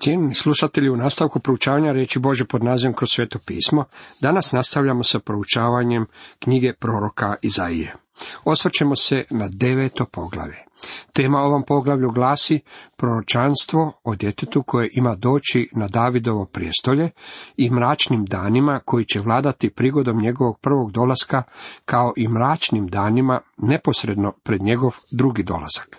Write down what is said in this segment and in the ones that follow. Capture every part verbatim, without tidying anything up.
Cijenjeni slušatelji, u nastavku proučavanja riječi Božje pod nazivom Kroz sveto pismo, danas nastavljamo sa proučavanjem knjige proroka Izaije. Osvrćemo se na deveto poglavlje. Tema ovom poglavlju glasi proročanstvo o djetetu koje ima doći na Davidovo prijestolje i mračnim danima koji će vladati prigodom njegovog prvog dolaska, kao i mračnim danima neposredno pred njegov drugi dolazak.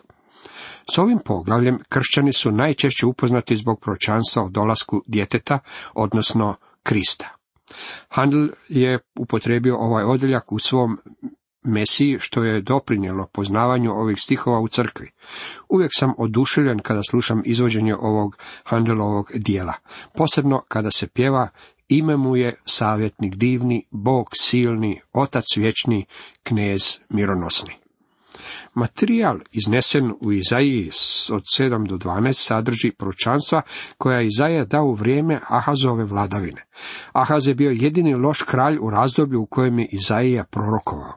S ovim poglavljem kršćani su najčešće upoznati zbog proročanstva o dolasku djeteta, odnosno Krista. Handel je upotrijebio ovaj odjeljak u svom Mesiji, što je doprinijelo poznavanju ovih stihova u crkvi. Uvijek sam oduševljen kada slušam izvođenje ovog Handelovog dijela, posebno kada se pjeva ime mu je savjetnik divni, Bog silni, Otac vječni, Knez mironosni. Materijal iznesen u Izaiji od sedam do dvanaest sadrži proročanstva koja je Izaija dao u vrijeme Ahazove vladavine. Ahaz je bio jedini loš kralj u razdoblju u kojem je Izaija prorokovao.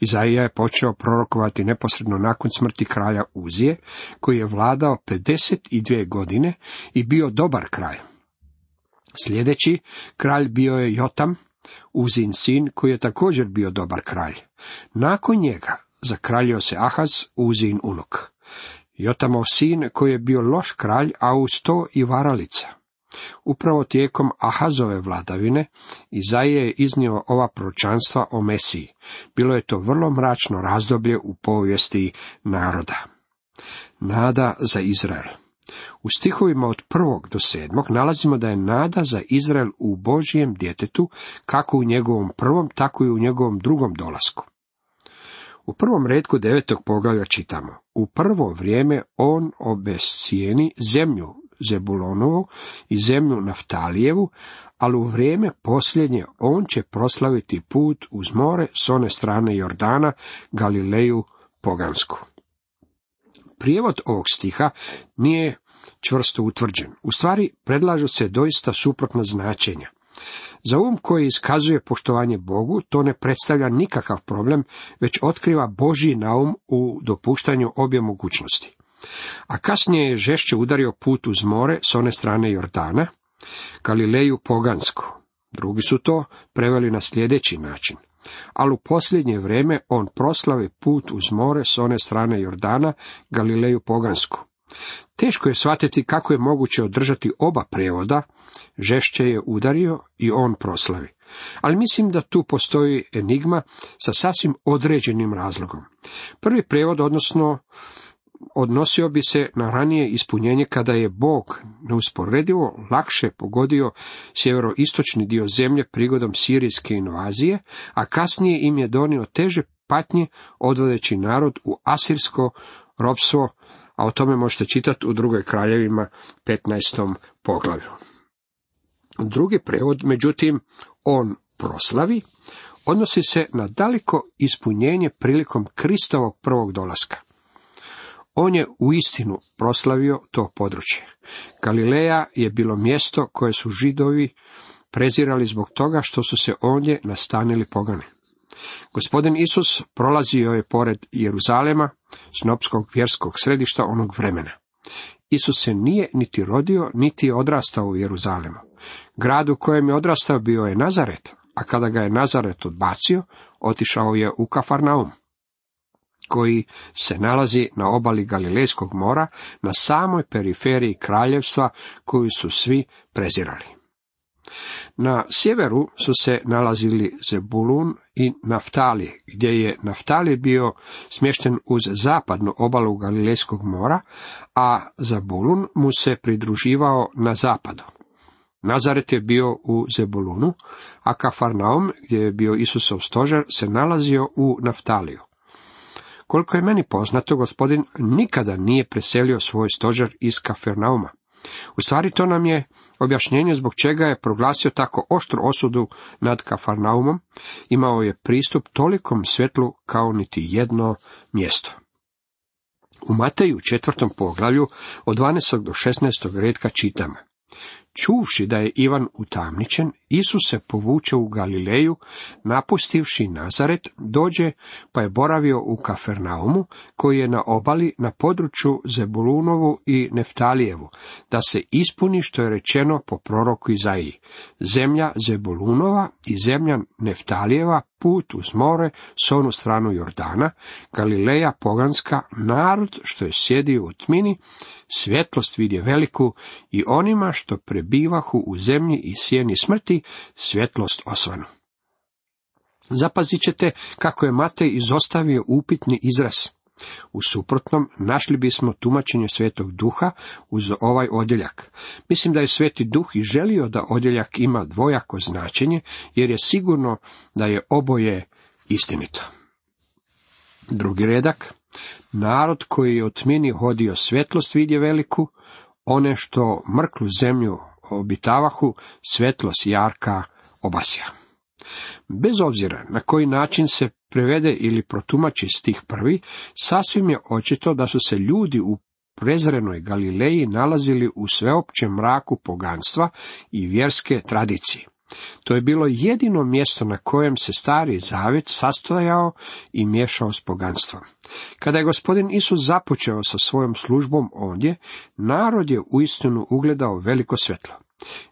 Izaija je počeo prorokovati neposredno nakon smrti kralja Uzije, koji je vladao pedeset dvije godine i bio dobar kralj. Sljedeći kralj bio je Jotam, Uzin sin, koji je također bio dobar kralj. Nakon njega zakraljio se Ahaz, Uzin unuk. Jotamov sin, koji je bio loš kralj, a uz to i varalica. Upravo tijekom Ahazove vladavine Izaija je iznio ova proročanstva o Mesiji. Bilo je to vrlo mračno razdoblje u povijesti naroda. Nada za Izrael. U stihovima od prvog do sedmog nalazimo da je nada za Izrael u Božjem djetetu, kako u njegovom prvom, tako i u njegovom drugom dolasku. U prvom retku devetog poglavlja čitamo: u prvo vrijeme on obescijeni zemlju Zebulonovu i zemlju Naftalijevu, ali u vrijeme posljednje on će proslaviti put uz more s one strane Jordana, Galileju pogansku. Prijevod ovog stiha nije čvrsto utvrđen. U stvari predlažu se doista suprotna značenja. Za um koji iskazuje poštovanje Bogu, to ne predstavlja nikakav problem, već otkriva Božji naum u dopuštanju obje mogućnosti. A kasnije je žešće udario put uz more s one strane Jordana, Galileju pogansku. Drugi su to preveli na sljedeći način: ali u posljednje vrijeme on proslavi put uz more s one strane Jordana, Galileju pogansku. Teško je shvatiti kako je moguće održati oba prijevoda, žešće je udario i on proslavi. Ali mislim da tu postoji enigma sa sasvim određenim razlogom. Prvi prijevod, odnosno odnosio bi se na ranije ispunjenje kada je Bog neusporedivo lakše pogodio sjeveroistočni dio zemlje prigodom sirijske invazije, a kasnije im je donio teže patnje odvodeći narod u asirsko ropstvo, a o tome možete čitati u drugoj kraljevima petnaestom poglavlju. Drugi prevod, međutim, on proslavi, odnosi se na daleko ispunjenje prilikom Kristovog prvog dolaska. On je uistinu proslavio to područje. Galileja je bilo mjesto koje su Židovi prezirali zbog toga što su se ondje nastanili pogani. Gospodin Isus prolazio je pored Jeruzalema, snopskog vjerskog središta onog vremena. Isus se nije niti rodio, niti je odrastao u Jeruzalemu. Grad u kojem je odrastao bio je Nazaret, a kada ga je Nazaret odbacio, otišao je u Kafarnaum, koji se nalazi na obali Galilejskog mora, na samoj periferiji kraljevstva koju su svi prezirali. Na sjeveru su se nalazili Zebulun i Naftali, gdje je Naftali bio smješten uz zapadnu obalu Galilejskog mora, a Zebulun mu se pridruživao na zapadu. Nazaret je bio u Zebulunu, a Kafarnaum, gdje je bio Isusov stožer, se nalazio u Naftaliju. Koliko je meni poznato, Gospodin nikada nije preselio svoj stožer iz Kafarnauma. U stvari to nam je objašnjenje zbog čega je proglasio tako oštru osudu nad Kafarnaumom. Imao je pristup tolikom svjetlu kao niti jedno mjesto. U Mateju četvrtom poglavlju od dvanaestog do šesnaestog redka čitamo: Čuvši da je Ivan utamničen, Isus se povuče u Galileju, napustivši Nazaret, dođe pa je boravio u Kafernaumu, koji je na obali na području Zebulunovu i Neftalijevu, da se ispuni što je rečeno po proroku Izaiji. Zemlja Zebulunova i zemlja Neftalijeva, put uz more, s onu stranu Jordana, Galileja poganska, narod što je sjedio u tmini, svjetlost vidje veliku, i onima što prebivahu u zemlji i sjeni smrti, svjetlost osvanu. Zapazit ćete kako je Matej izostavio upitni izraz. U suprotnom, našli bismo tumačenje Svetog Duha uz ovaj odjeljak. Mislim da je Sveti Duh i želio da odjeljak ima dvojako značenje, jer je sigurno da je oboje istinito. Drugi redak. Narod koji je u tmini hodio, svjetlost vidje veliku, one što mrklu zemlju obitavahu, svjetlost jarka obasja. Bez obzira na koji način se prevede ili protumači stih prvi, sasvim je očito da su se ljudi u prezrenoj Galileji nalazili u sveopćem mraku poganstva i vjerske tradicije. To je bilo jedino mjesto na kojem se Stari Zavjet sastojao i miješao s poganstvom. Kada je gospodin Isus započeo sa svojom službom ovdje, narod je uistinu ugledao veliko svjetlo.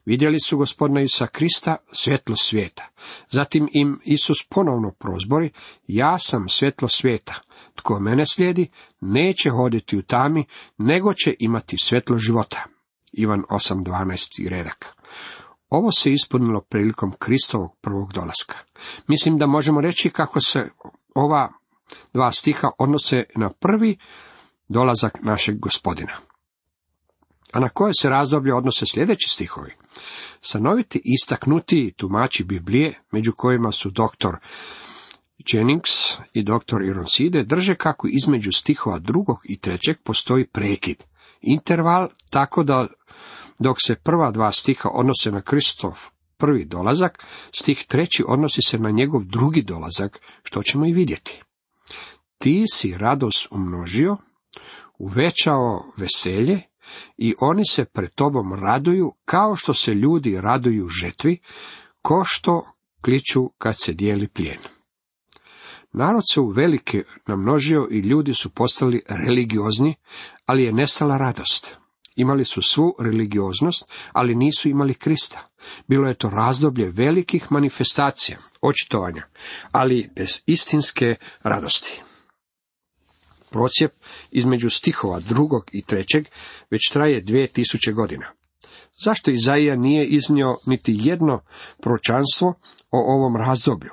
Vidjeli su gospodina Isusa Krista, svjetlo svijeta. Zatim im Isus ponovno prozbori: ja sam svjetlo svijeta. Tko mene slijedi, neće hoditi u tami, nego će imati svjetlo života. Ivan osam dvanaest redak. Ovo se ispunilo prilikom Kristovog prvog dolaska. Mislim da možemo reći kako se ova dva stiha odnose na prvi dolazak našeg gospodina. A na koje se razdoblje odnose sljedeći stihovi? Stanoviti istaknuti tumači Biblije, među kojima su doktor Jennings i doktor Ironside, drže kako između stihova drugog i trećeg postoji prekid, interval, tako da dok se prva dva stiha odnose na Kristov prvi dolazak, stih treći odnosi se na njegov drugi dolazak, što ćemo i vidjeti. Ti si radost umnožio, uvećao veselje, i oni se pred tobom raduju, kao što se ljudi raduju žetvi, ko što kliču kad se dijeli plijen. Narod se uvelike namnožio i ljudi su postali religiozni, ali je nestala radost. Imali su svu religioznost, ali nisu imali Krista. Bilo je to razdoblje velikih manifestacija, očitovanja, ali bez istinske radosti. Procjep između stihova drugog i trećeg već traje dvije tisuće godina. Zašto Izaija nije iznio niti jedno proročanstvo o ovom razdoblju?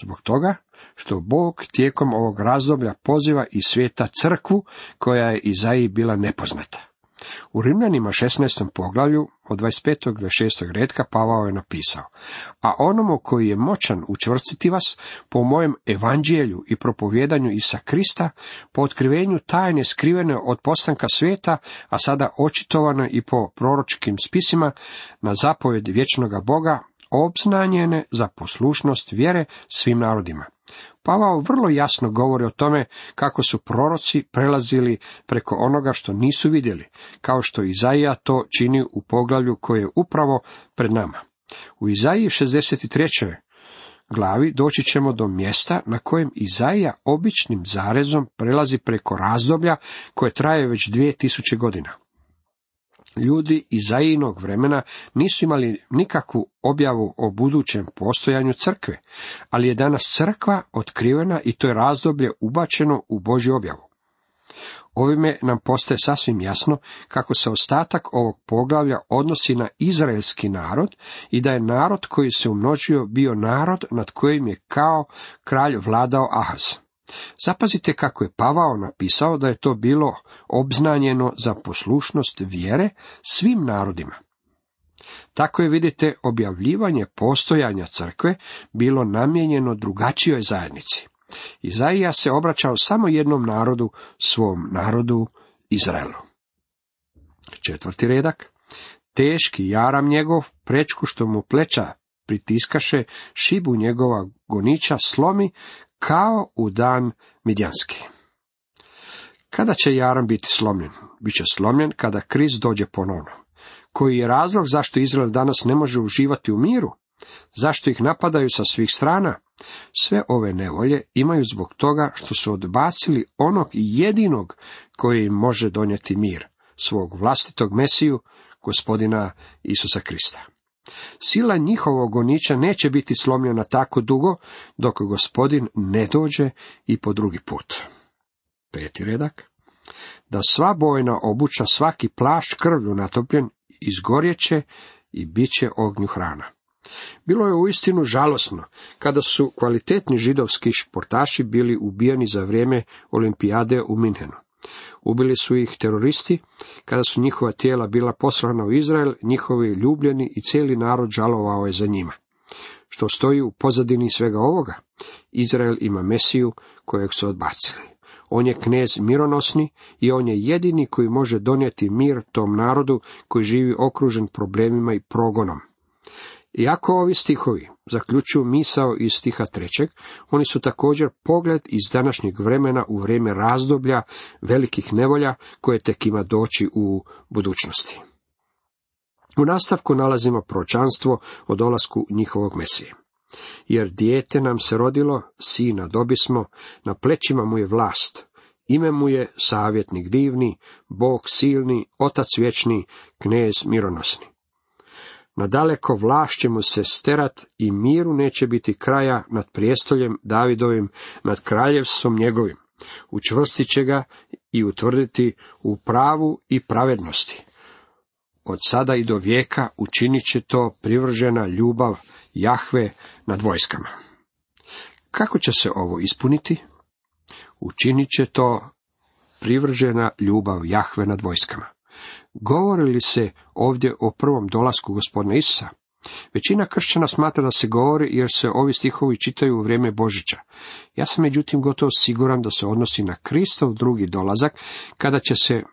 Zbog toga što Bog tijekom ovog razdoblja poziva iz svijeta crkvu koja je Izaiji bila nepoznata. U Rimljanima šesnaestom poglavlju od dvadeset petog do dvadeset šestog redka Pavao je napisao: a onomu koji je moćan učvrstiti vas po mojem evanđelju i propovjedanju Isusa Krista, po otkrivenju tajne skrivene od postanka svijeta, a sada očitovano i po proročkim spisima, na zapovjed vječnoga Boga, obznanjene za poslušnost vjere svim narodima. Pavao vrlo jasno govori o tome kako su proroci prelazili preko onoga što nisu vidjeli, kao što Izaija to čini u poglavlju koje je upravo pred nama. U Izaiji šezdeset trećoj glavi doći ćemo do mjesta na kojem Izaija običnim zarezom prelazi preko razdoblja koje traje već dvije tisuće godina. Ljudi Izaijinog vremena nisu imali nikakvu objavu o budućem postojanju crkve, ali je danas crkva otkrivena i to je razdoblje ubačeno u Božju objavu. Ovime nam postaje sasvim jasno kako se ostatak ovog poglavlja odnosi na izraelski narod i da je narod koji se umnožio bio narod nad kojim je kao kralj vladao Ahaz. Zapazite kako je Pavao napisao da je to bilo obznanjeno za poslušnost vjere svim narodima. Tako je, vidite, objavljivanje postojanja crkve bilo namijenjeno drugačijoj zajednici. Izaija se obraćao samo jednom narodu, svom narodu Izraelu. Četvrti redak. Teški jaram njegov, prečku što mu pleća pritiskaše, šibu njegova goniča slomi, kao u dan midjanski. Kada će jaram biti slomljen? Biće slomljen kada Krist dođe ponovno. koji je razlog zašto Izrael danas ne može uživati u miru? Zašto ih napadaju sa svih strana? Sve ove nevolje imaju zbog toga što su odbacili onog jedinog koji im može donijeti mir, svog vlastitog Mesiju, gospodina Isusa Krista. Sila njihovog goniča neće biti slomljena tako dugo, dok gospodin ne dođe i po drugi put. Peti redak. Da sva bojna obuća, svaki plašt krvlju natopljen, izgorjeće i bit će ognju hrana. Bilo je uistinu žalosno kada su kvalitetni židovski športaši bili ubijeni za vrijeme olimpijade u Minhenu. Ubili su ih teroristi, kada su njihova tijela bila poslana u Izrael, njihovi ljubljeni i cijeli narod žalovao je za njima. Što stoji u pozadini svega ovoga? Izrael ima Mesiju kojeg su odbacili. On je knez mironosni i on je jedini koji može donijeti mir tom narodu koji živi okružen problemima i progonom. Iako ovi stihovi zaključuju misao iz stiha trećeg, oni su također pogled iz današnjeg vremena u vrijeme razdoblja velikih nevolja koje tek ima doći u budućnosti. U nastavku nalazimo proročanstvo o dolasku njihovog Mesije. Jer dijete nam se rodilo, sina dobismo, na plećima mu je vlast, ime mu je savjetnik divni, Bog silni, otac vječni, knez mironosni. Nadaleko vlast će mu se sterat i miru neće biti kraja nad prijestoljem Davidovim, nad kraljevstvom njegovim. Učvrstit će ga i utvrditi u pravu i pravednosti. Od sada i do vijeka učinit će to privržena ljubav Jahve nad vojskama. Kako će se ovo ispuniti? Učinit će to privržena ljubav Jahve nad vojskama. Govori li se ovdje o prvom dolasku gospodina Isusa? Većina kršćana smatra da se govori jer se ovi stihovi čitaju u vrijeme Božića. Ja sam međutim gotovo siguran da se odnosi na Kristov drugi dolazak, kada će se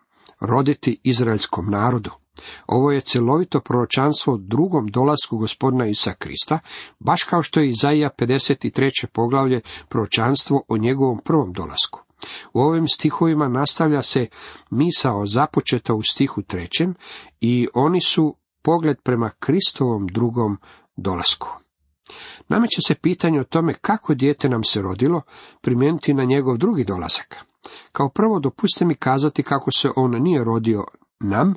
roditi izraelskom narodu. Ovo je cjelovito proročanstvo o drugom dolasku gospodina Isusa Krista, baš kao što je Izaija pedeset treće poglavlje proročanstvo o njegovom prvom dolasku. U ovim stihovima nastavlja se misao započeta u stihu trećem i oni su pogled prema Kristovom drugom dolasku. Nameće se pitanje o tome kako dijete nam se rodilo primijeniti na njegov drugi dolazak. Kao prvo dopustite mi kazati kako se on nije rodio nam,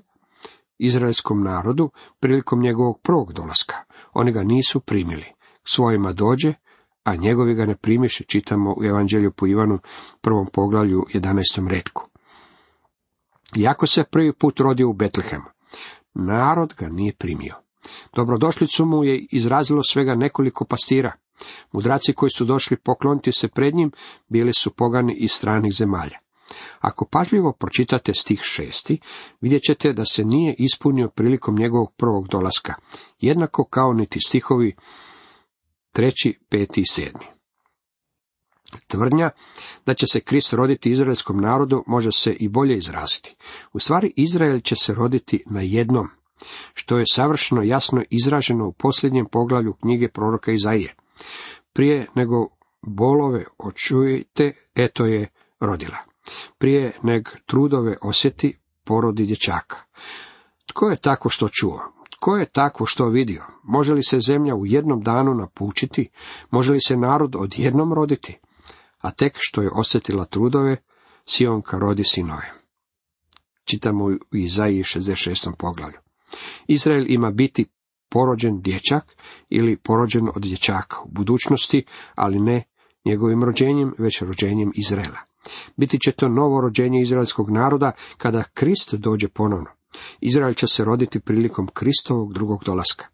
izraelskom narodu, prilikom njegovog prvog dolaska. Oni ga nisu primili. K svojima dođe, a njegovi ga ne primiše, čitamo u Evanđelju po Ivanu, prvom poglavlju, jedanaestom retku. Iako se prvi put rodio u Betlehemu, narod ga nije primio. Dobrodošlicu mu je izrazilo svega nekoliko pastira. Mudraci koji su došli pokloniti se pred njim bili su pogani iz stranih zemalja. Ako pažljivo pročitate stih šesti, vidjet ćete da se nije ispunio prilikom njegovog prvog dolaska, jednako kao niti stihovi treći, peti i sedmi. Tvrdnja da će se Krist roditi izraelskom narodu može se i bolje izraziti. U stvari, Izrael će se roditi na jednom, što je savršeno jasno izraženo u posljednjem poglavlju knjige proroka Izaije. Prije nego bolove očujete, eto je rodila. Prije neg trudove osjeti, porodi dječaka. Tko je tako što čuo? Tko je takvo što vidio? Može li se zemlja u jednom danu napučiti? Može li se narod odjednom roditi? A tek što je osjetila trudove, Sionka rodi sinove. Čitamo u Izaiji šezdeset šestom poglavlju. Izrael ima biti porođen dječak ili porođen od dječaka u budućnosti, ali ne njegovim rođenjem, već rođenjem Izraela. Biti će to novo rođenje izraelskog naroda kada Krist dođe ponovno. Izrael će se roditi prilikom Kristovog drugog dolaska.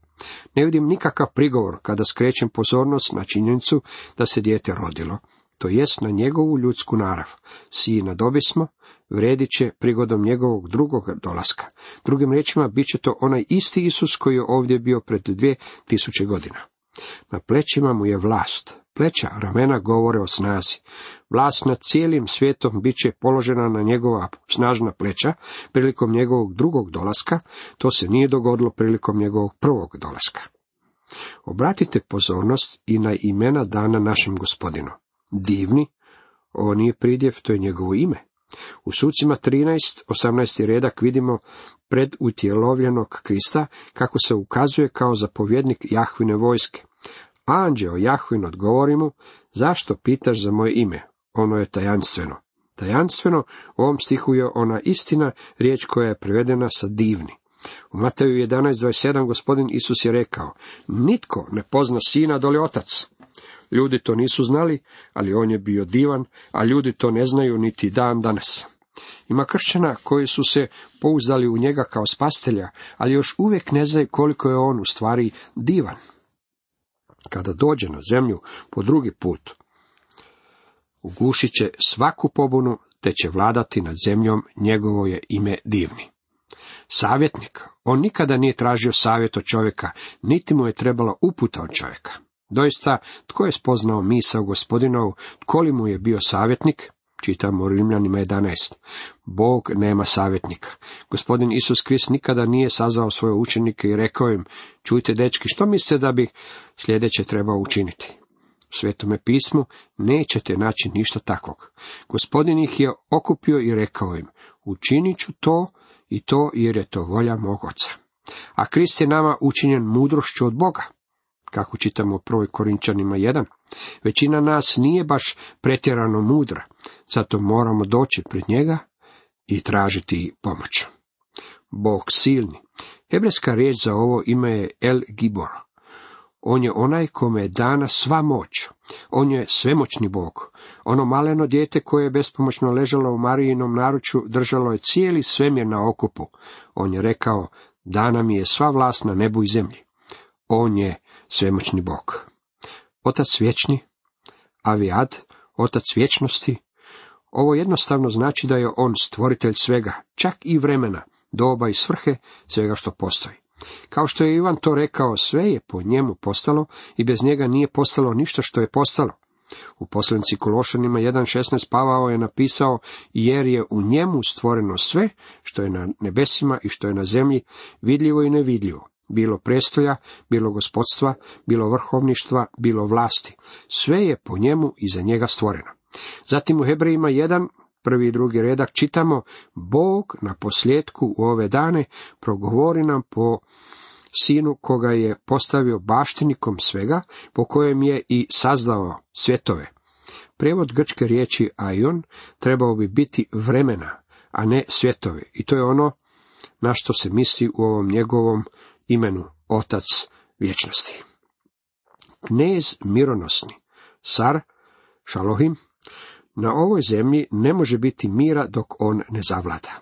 Ne vidim nikakav prigovor kada skrećem pozornost na činjenicu da se dijete rodilo, to jest na njegovu ljudsku narav. Sina dobismo, vredit će prigodom njegovog drugog dolaska. Drugim riječima, bit će to onaj isti Isus koji je ovdje bio pred dvije tisuće godina. Na plećima mu je vlast. Pleća, ramena govore o snazi. Vlast nad cijelim svijetom bit će položena na njegova snažna pleća prilikom njegovog drugog dolaska. To se nije dogodilo prilikom njegovog prvog dolaska. Obratite pozornost i na imena dana našem Gospodinu. Divni, ovo nije pridjev, to je njegovo ime. U Sucima trinaest, osamnaesti redak vidimo predutjelovljenog Krista kako se ukazuje kao zapovjednik Jahvine vojske. Anđeo Jahvin odgovori mu, zašto pitaš za moje ime? Ono je tajanstveno. Tajanstveno u ovom stihu je ona istina, riječ koja je prevedena sa divni. U Mateju jedanaest dvadeset sedam gospodin Isus je rekao, nitko ne pozna sina doli otac. Ljudi to nisu znali, ali on je bio divan, a ljudi to ne znaju niti dan danas. Ima kršćana koji su se pouzdali u njega kao spasitelja, ali još uvijek ne znaju koliko je on u stvari divan. Kada dođe na zemlju po drugi put, ugušit će svaku pobunu, te će vladati nad zemljom, njegovo je ime divni. Savjetnik, on nikada nije tražio savjet od čovjeka, niti mu je trebala uputa od čovjeka. Doista, tko je spoznao misao gospodinovu, tko li mu je bio savjetnik? Čitamo u Rimljanima jedanaest. Bog nema savjetnika. Gospodin Isus Krist nikada nije sazvao svoje učenike i rekao im, čujte dečki, što mislite da bi sljedeće trebao učiniti? U Svetome pismu nećete naći ništa takvog. Gospodin ih je okupio i rekao im, učinit ću to i to jer je to volja mog Oca. A Krist je nama učinjen mudrošću od Boga. Kako čitamo u prvoj Korinčanima jedan, većina nas nije baš pretjerano mudra, zato moramo doći pred njega i tražiti pomoć. Bog silni. Hebrejska riječ za ovo ime je El Gibor. On je onaj kome je dana sva moć. On je svemoćni Bog. Ono maleno dijete koje je bespomoćno ležalo u Marijinom naručju držalo je cijeli svemir na okupu. On je rekao, dana mi je sva vlast na nebu i zemlji. On je svemoćni Bog. Otac vječni, Avijad, otac vječnosti. Ovo jednostavno znači da je on stvoritelj svega, čak i vremena, doba i svrhe, svega što postoji. Kao što je Ivan to rekao, sve je po njemu postalo i bez njega nije postalo ništa što je postalo. U poslanici Kološanima jedan šesnaest Pavao je napisao, jer je u njemu stvoreno sve što je na nebesima i što je na zemlji, vidljivo i nevidljivo. Bilo prestolja, bilo gospodstva, bilo vrhovništva, bilo vlasti. Sve je po njemu i za njega stvoreno. Zatim u Hebrejima jedan, prvi i drugi redak čitamo, Bog na posljedku u ove dane progovori nam po sinu koga je postavio baštinikom svega, po kojem je i sazdao svjetove. Prijevod grčke riječi aion trebao bi biti vremena, a ne svjetove. I to je ono na što se misli u ovom njegovom imenu, otac vječnosti. Knez mironosni, car Šalohim, na ovoj zemlji ne može biti mira dok on ne zavlada.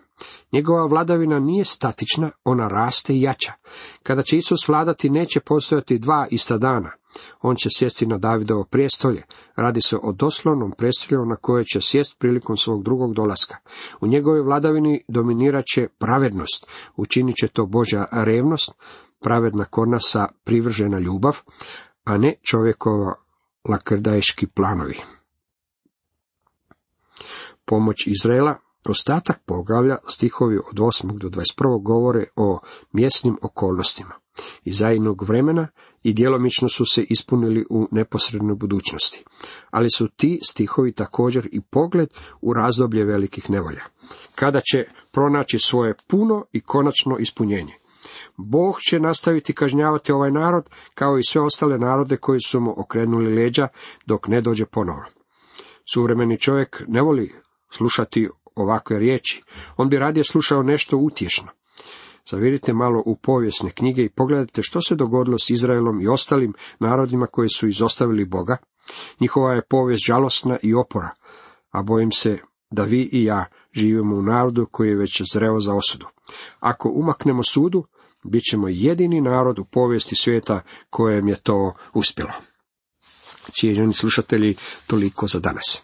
Njegova vladavina nije statična, ona raste i jača. Kada će Isus vladati, neće postojati dva ista dana. On će sjesti na Davidovo prijestolje. Radi se o doslovnom prijestolju na koje će sjest prilikom svog drugog dolaska. U njegovoj vladavini dominirat će pravednost. Učinit će to Božja revnost, pravedna kod nas privržena ljubav, a ne čovjekova lakrdajski planovi. Pomoć Izraela. Ostatak poglavlja, stihovi od osmog do dvadeset prvog govore o mjesnim okolnostima Izaijinog vremena i djelomično su se ispunili u neposrednoj budućnosti. Ali su ti stihovi također i pogled u razdoblje velikih nevolja, kada će pronaći svoje puno i konačno ispunjenje. Bog će nastaviti kažnjavati ovaj narod, kao i sve ostale narode koji su mu okrenuli leđa, dok ne dođe ponovo. Suvremeni čovjek ne voli slušati ovakve riječi, on bi radije slušao nešto utješno. Zavirite malo u povijesne knjige i pogledajte što se dogodilo s Izraelom i ostalim narodima koji su izostavili Boga. Njihova je povijest žalosna i opora, a bojim se da vi i ja živimo u narodu koji je već zreo za osudu. Ako umaknemo sudu, bit ćemo jedini narod u povijesti svijeta kojem je to uspjelo. Cijenjeni slušatelji, toliko za danas.